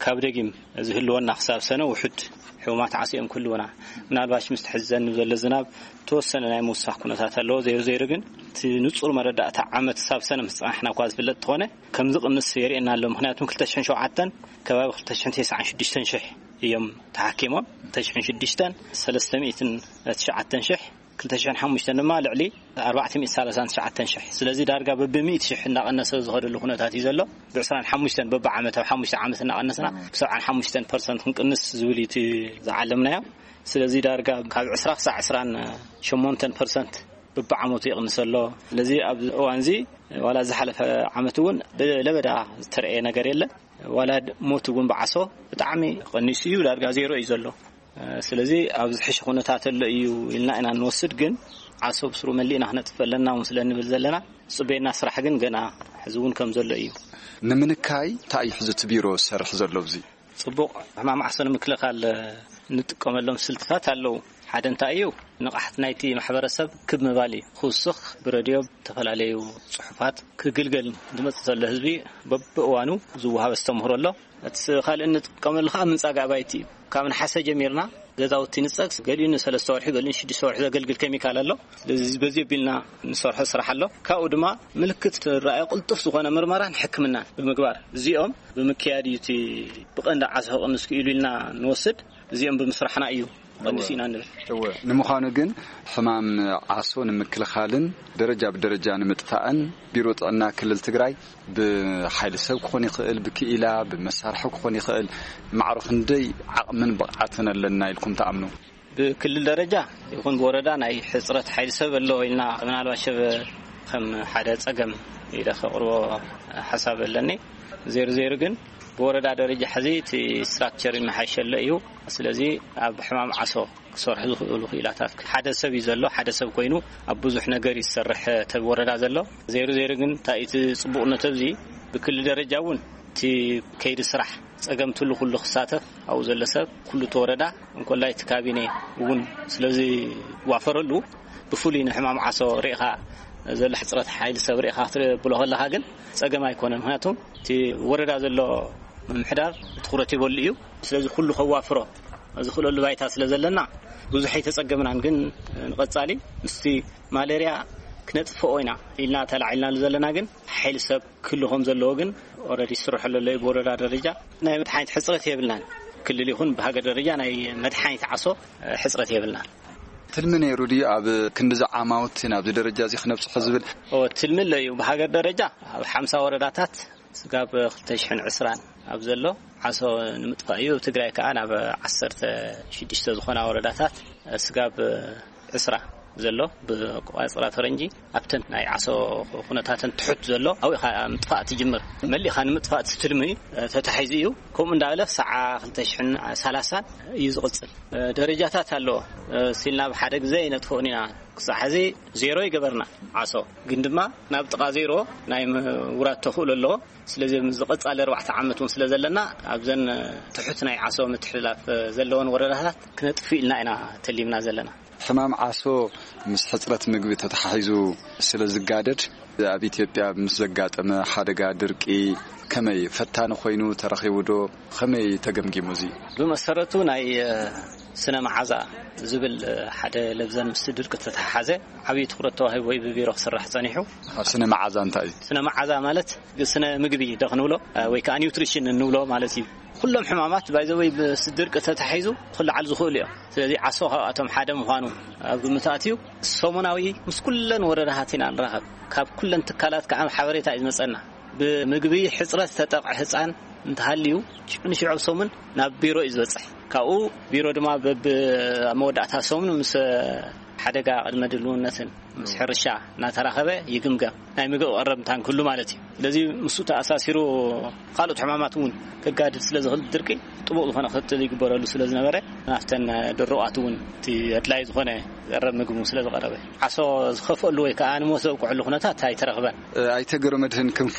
ካብ ደጊም ዝህልወና ክሳብ ሰነ ውሑድ ሕሙማት ዓሶ እዮም ክህልውና። ምናልባሽ ምስቲ ሕዚ ዘንብ ዘሎ ዝናብ ተወሰነ ናይ ምውሳኽ ኩነታት ኣለዎ። ዘይሩ ዘይሩ ግን እቲ ንጹር መረዳእታ ዓመት ክሳብ ሰነ ምስ ጸናሕና እኳ ዝፍለጥ ተኾነ ከም ዝቕንስ የርእየና ኣሎ። ምኽንያቱም ክልተ ሽሕን ሸውዓተን ከባቢ ክልተ ሽሕን ተስዓን ሽዱሽተን ሽሕ እዮም ተሓኪሞም። ክልተ ሽሕን ሽዱሽተን ሰለስተ ሚእትን ትሽዓተን ሽሕ፣ ክልተ ሽሕን ሓሙሽተን ድማ ልዕሊ ኣርባዕተ ሚእቲ ሰላሳን ትሽዓተን ሽሕ። ስለዚ ዳርጋ በብሚእቲ ሽሕ እናቐነሰ ዝኸደሉ ኩነታት እዩ ዘሎ። ብዕስራን ሓሙሽተን በብዓመት ኣብ ሓሙሽተ ዓመት እናቐነስና ብሰብዓን ሓሙሽተን ፐርሰንት ክንቅንስ ዝብል እዩ እቲ ዝዓለምናዮ። ስለዚ ዳርጋ ካብ ዕስራ ክሳዕ ዕስራን ሸሞንተን ፐርሰንት በብዓመቱ ይቕንስ ኣሎ። ስለዚ ኣብዚ እዋን እዚ ዋላ ዝሓለፈ ዓመት እውን ብለበዳ ዝተረእየ ነገር የለን። ዋላ ሞት እውን ብዓሶ ብጣዕሚ ቀኒሱ እዩ፣ ዳርጋ ዜሮ እዩ ዘሎ። ስለዚ ኣብ ዝሕሽ ኩነታት ኣሎ እዩ ኢልና ኢና እንወስድ፣ ግን ዓሶ ብስሩ መሊእና ክነጥፍ ኣለና እውን ስለ እንብል ዘለና፣ ዝፅበየና ስራሕ ግን ገና ሕዚ እውን ከም ዘሎ እዩ። ንምንካይ እንታይ እዩ ሕዚ እቲ ቢሮ ዝሰርሕ ዘሎ? ኣብዚ ፅቡቕ ሕማም ዓሶ ንምክልኻል እንጥቀመሎም ስልትታት ኣለዉ። ሓደ እንታይ እዩ፣ ንቕሓት ናይቲ ማሕበረሰብ ክብ ምባል እዩ። ክውስኽ፣ ብረድዮ፣ ብተፈላለዩ ጽሑፋት ክግልገል ዝመጽእ ዘሎ ህዝቢ በብእዋኑ ዝወሃብ ኣስተምህሮ ኣሎ። እቲ ካልእ እንጥቀመሉ ከዓ ምንጻግ ኣባይቲ እዩ። ካብ ነሓሰ ጀሚርና ገዛውቲ ንጸግ፣ ገሊኡ ንሰለስተ ወርሒ፣ ገሊኡ ንሽዱሽተ ወርሒ ዘገልግል ኬሚካል ኣሎ። ስለዚ በዚ ኣቢልና ንሰርሖ ስራሕ ኣሎ። ካብኡ ድማ ምልክት ትረኣዮ ቅልጡፍ ዝኾነ ምርመራን ሕክምናን ብምግባር፣ እዚኦም ብምክያድ እዩ እቲ ብቐንዲ ዓሶ ክቕንስ ክኢሉ ኢልና ንወስድ። እዚኦም ብምስራሕና እዩ ቀንዲስ ኢና ንብል። እወ። ንምዃኑ ግን ሕማም ዓሶ ንምክልኻልን ደረጃ ብደረጃ ንምጥፋእን ቢሮ ጥዕና ክልል ትግራይ ብሓይሊ ሰብ ክኾን ይኽእል፣ ብክኢላ፣ ብመሳርሒ ክኾን ይኽእል፣ ማዕሮ ክንደይ ዓቕምን ብቕዓትን ኣለና ኢልኩም ትኣምኑ? ብክልል ደረጃ ይኹን ብወረዳ ናይ ሕፅረት ሓይሊ ሰብ ኣሎ ኢልና ምናልባት ሸበ ከም ሓደ ፀገም ኢለ ከቕርቦ ሓሳብ ኣለኒ። ዜሩ ዜሩ ግን ብወረዳ ደረጃ ሕዚ እቲ ስትራክቸር ይመሓሸሎ እዩ። ስለዚ ኣብ ሕማም ዓሶ ክሰርሑ ዝኽእሉ ክኢላታት ሓደ ሰብ እዩ ዘሎ። ሓደ ሰብ ኮይኑ ኣብ ብዙሕ ነገር እዩ ዝሰርሕ ተብ ወረዳ ዘሎ። ዜሩ ዜሩ ግን እንታይ እቲ ጽቡቕነት ኣብዚ ብክልል ደረጃ እውን እቲ ከይዲ ስራሕ ጸገም ትሉ ኩሉ ክሳተፍ ኣብኡ ዘሎ ሰብ ኩሉ እቲ ወረዳ እንኮላይ እቲ ካቢኔ እውን ስለዚ ዋፈረሉ ብፍሉይ ንሕማም ዓሶ ርኢኻ ዘሎ ሕፅረት ሓይሊ ሰብ ርኢኻ ክትብሎ ከለኻ ግን ጸገም ኣይኮነን። ምክንያቱ እቲ ወረዳ ዘሎ ምምሕዳር ትኹረት ይበሉ እዩ። ስለዚ ኩሉ ከዋፍሮ ዝኽእለሉ ባይታ ስለ ዘለና ብዙሕ ኣይተጸገምናን። ግን ንቐጻሊ ምስቲ ማለርያ ክነጥፍኦ ኢና ኢልና ተላዒልናሉ ዘለና ግን ሓይሊ ሰብ ክህሉ ከም ዘለዎ ግን ኦረዲ ይስርሐሉ ኣሎ እዩ ብወረዳ ደረጃ። ናይ መድሓኒት ሕፅረት የብልናን። ክልል ይኹን ብሃገር ደረጃ ናይ መድሓኒት ዓሶ ሕፅረት የብልናን። ትልሚ ነይሩ ድዩ ኣብ ክንዲዚ ዓማውቲ ናብዚ ደረጃ እዚ ክነብፅሖ ዝብል? ትልሚ ኣሎ እዩ። ብሃገር ደረጃ ኣብ ሓምሳ ወረዳታት ስጋብ ክልተ ሽሕን ዕስራን ኣብ ዘሎ ዓሶ ንምጥፋእ እዩ። ኣብ ትግራይ ከዓ ናብ ዓሰርተ ሽዱሽተ ዝኾና ወረዳታት ስጋብ ዕስራ ዘሎ ብቋፅራ ፈረንጂ ኣብተን ናይ ዓሶ ኩነታተን ትሑት ዘሎ ኣብኡ ኢኻ ምጥፋእ ትጅምር። መሊእኻ ንምጥፋእ እቲ ትልሚ ተታሒዙ እዩ። ከምኡ እንዳበለ ክሳዕ ክልተ ሽሕን ሰላሳን እዩ ዝቕፅል። ደረጃታት ኣለዎ። ሲልና ብሓደ ግዜ ይነጥፍኦን ኢና። ክሳዕ ሕዚ ዜሮ ይገበርና ዓሶ ግን ድማ ናብ ጥቓ ዜሮ ናይ ምውራድ ተኽእሎ ኣለዎ። ስለዚ ኣብዚ ቀጻሊ ኣርባዕተ ዓመት እውን ስለ ዘለና ኣብዘን ትሑት ናይ ዓሶ ምትሕልላፍ ዘለወን ወረዳታት ክነጥፍ ኢልና ኢና ተሊምና ዘለና። ሕማም ዓሶ ምስ ሕፅረት ምግቢ ተተሓሒዙ ስለ ዝጋደድ ኣብ ኢትዮጵያ ምስ ዘጋጠመ ሓደጋ ድርቂ ከመይ ፈታኒ ኮይኑ ተረኺቡ ዶ? ከመይ ተገምጊሙ እዚ? ብመሰረቱ ናይ ስነ መዓዛ ዝብል ሓደ ለብዘን ምስ ድርቂ ተተሓሓዘ ዓብዪ ትኹረት ተዋሂቡ ወይ ብቢሮ ክስራሕ ጸኒሑ። ስነ መዓዛ እንታይ እዩ? ስነ መዓዛ ማለት ስነ ምግቢ ዶ ክንብሎ ወይ ከዓ ኒውትሪሽን እንብሎ ማለት እዩ። ኩሎም ሕማማት ባይዘወይ ምስ ድርቂ ተተሓሒዙ ክለዓሉ ዝኽእሉ እዮም። ስለዚ ዓሶ ካብኣቶም ሓደ ምዃኑ ኣብ ግምት ኣትዩ ሰሙናዊ ምስ ኩለን ወረዳታት ኢና ንራኸብ። ካብ ኩለን ትካላት ከዓ ሓበሬታ እዩ ዝመፀና። ብምግቢ ሕፅረት ዝተጠቕዐ ህፃን እንተሃልዩ ሽዑ ንሽዑ ኣብ ሰሙን ናብ ቢሮ እዩ ዝበፅሕ። ካብኡ ቢሮ ድማ በብ ኣብ መወዳእታ ሰሙን ምስ ሓደጋ ቅድመ ድልውነትን ምስ ሕርሻ እናተራኸበ ይግምገም። ናይ ምግቢ ቀረብ ምታን ክህሉ ማለት እዩ። ስለዚ ምስኡ ተኣሳሲሩ ካልኦት ሕማማት እውን ከጋድድ ስለ ዝኽእል ድርቂ ጥቡቕ ዝኾነ ክትትል ይግበረሉ ስለ ዝነበረ ናብተን ድሩቓት እውን እቲ ኣድላይ ዝኾነ ዝቐረብ ምግቢ ስለ ዝቐረበ ዓሶ ዝኸፍአሉ ወይ ከዓ ንሞት ዘብቅዐሉ ኩነታት ኣይተረኽበን። ኣይተ ገብረመድህን ክንፉ፣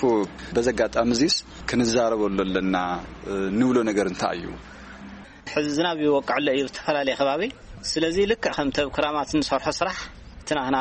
በዚ ኣጋጣሚ እዚስ ክንዛረበሉ ኣለና ንብሎ ነገር እንታይ እዩ? ሕዚ ዝናብ ይወቅዕ ኣሎ እዩ ዝተፈላለየ ከባቢ። ስለዚ ልክዕ ከምቲ ኣብ ክራማት እንሰርሖ ስራሕ እቲ ናህና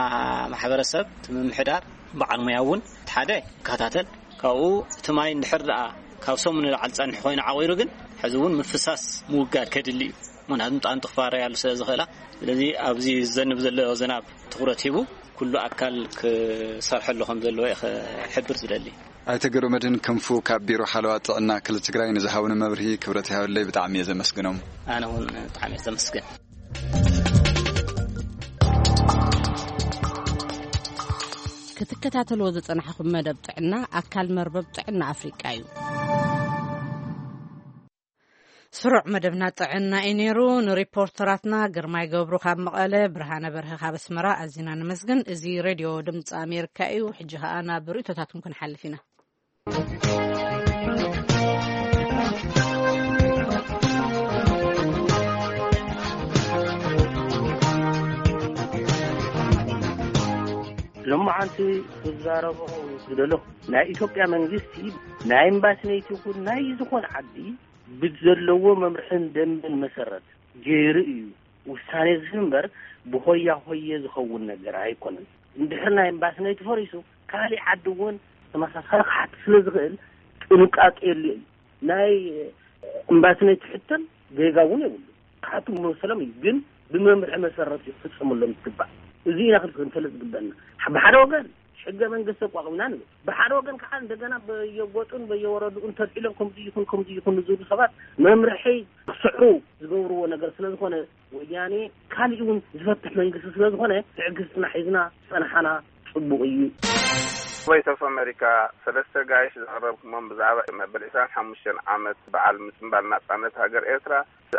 ማሕበረሰብ እቲ ምምሕዳር በዓል ሙያ እውን እቲ ሓደ ይከታተል። ካብኡ እቲ ማይ እንድሕር ደኣ ካብ ሰሙን ንላዕሊ ጸንሑ ኮይኑ ዓቒሩ ግን ሕዚ እውን ምፍሳስ ምውጋድ ከድሊ እዩ። ምክንያቱ ንጣን ትኽፋረ ያሉ ስለ ዝኽእላ። ስለዚ ኣብዚ ዝዘንብ ዘሎ ዝናብ ትኹረት ሂቡ ኩሉ ኣካል ክሰርሐሉ ከም ዘለዎ እየ ክሕብር ዝደሊ። ኣይተ ገብረመድህን ክንፉ ካብ ቢሮ ሓለዋ ጥዕና ክልል ትግራይ ንዝሃቡኒ መብርሂ ክብረት ይሃበለይ፣ ብጣዕሚ እየ ዘመስግኖም። ኣነ እውን ብጣዕሚ እየ ዘመስግን። ክትከታተልዎ ዝጸናሕኹም መደብ ጥዕና ኣካል መርበብ ጥዕና ኣፍሪቃ እዩ። ስሩዕ መደብና ጥዕና እዩ ነይሩ። ንሪፖርተራትና ግርማይ ገብሩ ካብ መቐለ፣ ብርሃነ በርሀ ካብ ኣስመራ ኣዚና ነመስግን። እዚ ሬድዮ ድምፂ ኣሜሪካ እዩ። ሕጂ ኸኣ ናብ ርእይቶታትኩም ክንሓልፍ ኢና። ሎማዓንቲ ክዛረቦ ዝደለኹ፣ ናይ ኢትዮጵያ መንግስቲ ናይ ኤምባሲ ነይቲ ይኹን ናይ ዝኾነ ዓዲ ብዘለዎ መምርሕን ደንብን መሰረት ገይሩ እዩ ውሳኔ ዝህብ እምበር ብሆያ ሆየ ዝኸውን ነገር ኣይኮነን። እንድሕር ናይ እምባስነይ ተፈሪሱ፣ ካሊእ ዓዲ እውን ተመሳሳሊ ክሓት ስለ ዝኽእል ጥንቃቄ የድልዮ እዩ። ናይ እምባስነይ ትሕተም ጌጋ እውን የብሉ። ክሓቱ መሰሎም እዩ፣ ግን ብመምርሒ መሰረት እዩ ክፍጸመሎም ዝግባእ። እዚ ኢና ክንፈልጥ ዝግበአና። ብሓደ ወገን ሕገ መንግስቲ ኣቋቒምና ንብል፣ ብሓደ ወገን ከዓ እንደገና በየጎጡን በየወረዱን ተልዒሎም ከምዚ ይኹን ከምዚ ይኹን ዝብሉ ሰባት መምርሒ ክስዕሩ ዝገብርዎ ነገር ስለ ዝኾነ፣ ወያኔ ካሊእ እውን ዝፈትሕ መንግስቲ ስለ ዝኾነ ትዕግስትና ሒዝና ዝጸንሓና ጽቡቕ እዩ። ቮይስ ኦፍ ኣሜሪካ፣ ሰለስተ ጋይሽ ዘቕረብኩሞም ብዛዕባ መበል ዕስራን ሓሙሽተን ዓመት በዓል ምጽንባል ናጻነት ሃገር ኤርትራ፣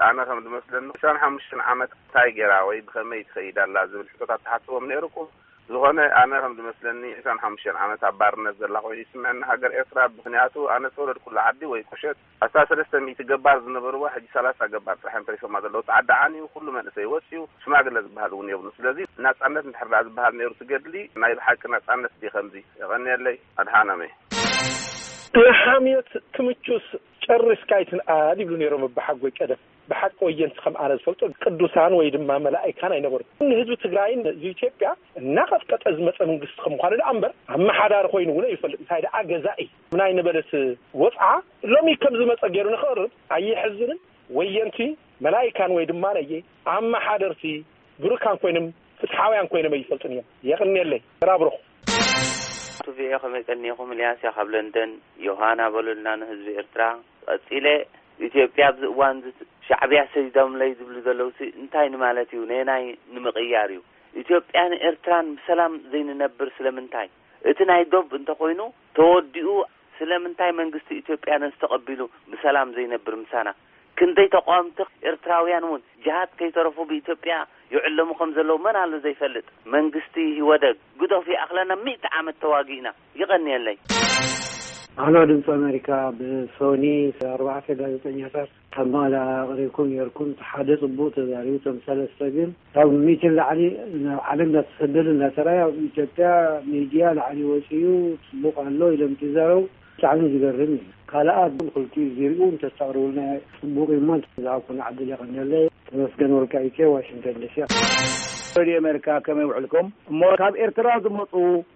ኣነ ከም ዝመስለኒ ዕስራን ሓሙሽተን ዓመት እንታይ ገይራ ወይ ብኸመይ ትኸይድ ኣላ ዝብል ሕቶታት ትሓትዎም ነይርኩም። ዝኾነ ኣነ ከም ዝመስለኒ ዕስራን ሓሙሽተን ዓመት ኣብ ባርነት ዘላ ኮይኑ ይስምዐኒ ሃገር ኤርትራ። ምኽንያቱ ኣነ ዝተወለድኩሉ ዓዲ ወይ ቁሸት ኣስታት ሰለስተ ሚእቲ ገባር ዝነበርዋ ሕጂ ሰላሳ ገባር ጥራሕ እዮም ተሪፎማ ዘለዉ። እቲ ዓዲ ዓንዩ ኩሉ መንእሰይ ወፅዩ ሽማግለ ዝበሃል እውን የብሉ። ስለዚ ናፃነት እንድሕር ደኣ ዝበሃል ነይሩ ትገድሊ ናይ ብሓቂ ናፃነት ድዩ ከምዚ? የቐንየለይ። ኣድሓኖም እየ። ንሓምዮት ትምቹስ ጨሪስካ ኣይትንኣድ ይብሉ ነይሮም ኣባሓጎይ ቀደም። ብሓቂ ወየንቲ ከም ኣነ ዝፈልጦ ቅዱሳን ወይ ድማ መላእካን ኣይነበሩን። ንህዝቢ ትግራይን ህዝቢ ኢትዮጵያ እናቐጥቀጠ ዝመፀ መንግስቲ ከም ምዃኑ ደኣ እምበር ኣመሓዳሪ ኮይኑ እውን ኣይፈልጥ። እንታይ ደኣ ገዛኢ ናይ ነበለት ወፅዓ ሎሚ ከም ዝመፀ ገይሩ ንክቕርብ ኣየሕዝንን? ወየንቲ መላእካን ወይ ድማ ነየ ኣመሓደርቲ ብሩካን ኮይኖም ፍትሓውያን ኮይኖም ኣይፈልጡን እዮም። የቕንየለይ። ተራብሩኹ። ቱቪኤ ከመይ ቀኒኹም? ኢልያስ እያ ካብ ለንደን። ዮሃና በሉልና ንህዝቢ ኤርትራ። ቀጺለ፣ ኢትዮጵያ ኣብዚ እዋን እዚ ሻዕብያ ሰዲዶምለይ ዝብሉ ዘለውሲ እንታይ ንማለት እዩ? ነየናይ ንምቕያር እዩ? ኢትዮጵያን ኤርትራን ብሰላም ዘይንነብር ስለምንታይ? እቲ ናይ ዶብ እንተኾይኑ ተወዲኡ፣ ስለምንታይ መንግስቲ ኢትዮጵያ ነዚ ተቐቢሉ ብሰላም ዘይነብር ምሳና? ክንደይ ተቃወምቲ ኤርትራውያን እውን ጅሃድ ከይተረፉ ብኢትዮጵያ ይዕለሙ ከም ዘለዉ መን ኣሎ ዘይፈልጥ? መንግስቲ ኢህወደግ ግደፉ ይኣኽለና፣ ሚእቲ ዓመት ተዋጊእና። ይቐንየለይ። ኣሎ ድምፂ ኣሜሪካ፣ ብሶኒ ኣርባዕተ ጋዜጠኛታት ካብ መቐለ ኣቕሪብኩም ነይርኩም። እቲ ሓደ ፅቡቕ ተዛሪቡ፣ እቶም ሰለስተ ግን ካብ ሚእቲ ንላዕሊ ናብ ዓለም እንዳተሰደዱ እንዳተራእዩ ኣብ ኢትዮጵያ ሚድያ ላዕሊ ወፂኡ ፅቡቕ ኣሎ ኢሎም ዝዛረቡ ብጣዕሚ ዝገርም እዩ። ካልኣት ግን ክልቲኡ ዚሪኡ እንተስተቕርቡልና ፅቡቕ እዩ እሞ እንተዝሃብኩና ዕድል የቐንየለይ። ተመስገን ወልቃይቴ፣ ዋሽንግተን ዲሲ። ሬድዮ ኣሜሪካ ከመይ ውዕልኩም? እሞ ካብ ኤርትራ ዝመፁ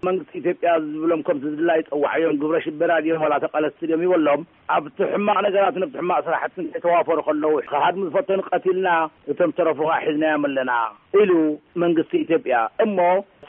መንግስቲ ኢትዮጵያ ዝብሎም ከምቲ ዝድላይ ፀዋዕዮም ግብረ ሽበራ ድዮም ዋላ ተቃለስቲ ድዮም ይበሎም። ኣብቲ ሕማቕ ነገራትን ኣብቲ ሕማቕ ስራሕትን ከይተዋፈሩ ከለዉ ክሃድሙ ዝፈተኑ ቀቲልና እቶም ዝተረፉ ከዓ ሒዝናዮም ኣለና ኢሉ መንግስቲ ኢትዮጵያ። እሞ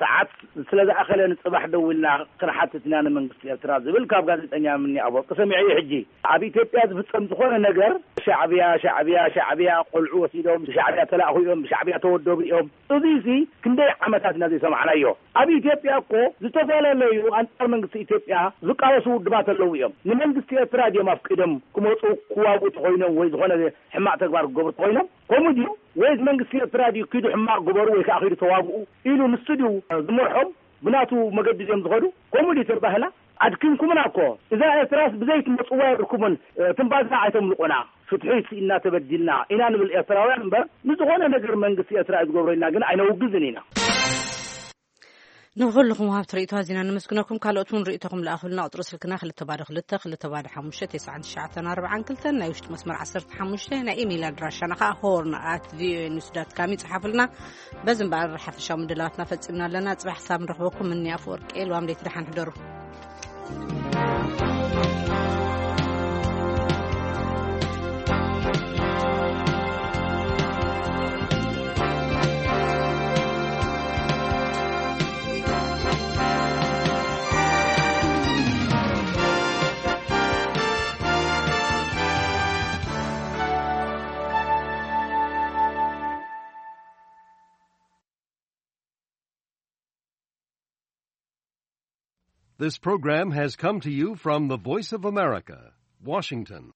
ሰዓት ስለ ዝኣኸለ ንፅባሕ ደዊልና ክንሓትት ኢና ንመንግስቲ ኤርትራ ዝብል ካብ ጋዜጠኛ ምኒ ኣፈወርቂ ሰሚዐ እዩ። ሕጂ ኣብ ኢትዮጵያ ዝፍፀም ዝኾነ ነገር ሻዕብያ፣ ሻዕብያ፣ ሻዕብያ፣ ቆልዑ ወሲዶም ብሻዕብያ ተላእኹ እዮም፣ ብሻዕብያ ተወደቡ እዮም። እዚሲ ክንደይ ዓመታት ኢና ዘይሰማዕናዮ? ኣብ ኢትዮጵያ እኮ ዝተፈላለዩ ኣንጻር መንግስቲ ኢትዮጵያ ዝቃለሱ ውድባት ኣለዉ እዮም። ንመንግስቲ ኤርትራ ድዮም ኣፍቂዶም ክመፁ ክዋግኡ ተኾይኖም ወይ ዝኾነ ሕማቕ ተግባር ክገብሩ ተኾይኖም? ከምኡ ድዩ? ወይስ መንግስቲ ኤርትራ ድዩ ኪዱ ሕማቕ ግበሩ ወይ ከዓ ኪዱ ተዋግኡ ኢሉ ንሱ ድዩ ዝመርሖም? ብናቱ መገዲ ድዮም ዝኸዱ? ከምኡ ድዩ ተባህላ? ኣድኪምኩምና እኮ። እዛ ኤርትራስ ብዘይ ትመጽዋ የብልኩምን። ትንፋስና ኣይተምልቑና። ፍትሒ ስኢንና ተበዲልና ኢና ንብል ኤርትራውያን እምበር፣ ንዝኾነ ነገር መንግስቲ ኤርትራ እዩ ዝገብሮ ኢልና ግን ኣይነውግዝን ኢና። ንኹልኹም ወሃብቲ ርእይቶ ኣዚና ነመስግነኩም። ካልኦት እውን ርእይቶኹም ለኣኹልና። ቁጽሪ ስልክና ክልተ ባዶ ክልተ፣ ክልተ ባዶ ሓሙሽተ፣ ተስዓን ትሽዓተን ኣርባዓን ክልተን፣ ናይ ውሽጢ መስመር ዓሰርተ ሓሙሽተ፣ ናይ ኢሜይል ኣድራሻና ኸኣ ሆርን ኣት ቪኦኤ ኒውስ ዳት ካም ይጽሓፉልና። በዚ እምበኣር ሓፈሻዊ ምድላዋትና ፈጺምና ኣለና። ጽባሕ ክሳብ ንረኽበኩም፣ እኒ ኣፈወርቂ ልዋም ለይቲ ደሓን ሕደሩ። This program has come to you from the Voice of America, Washington.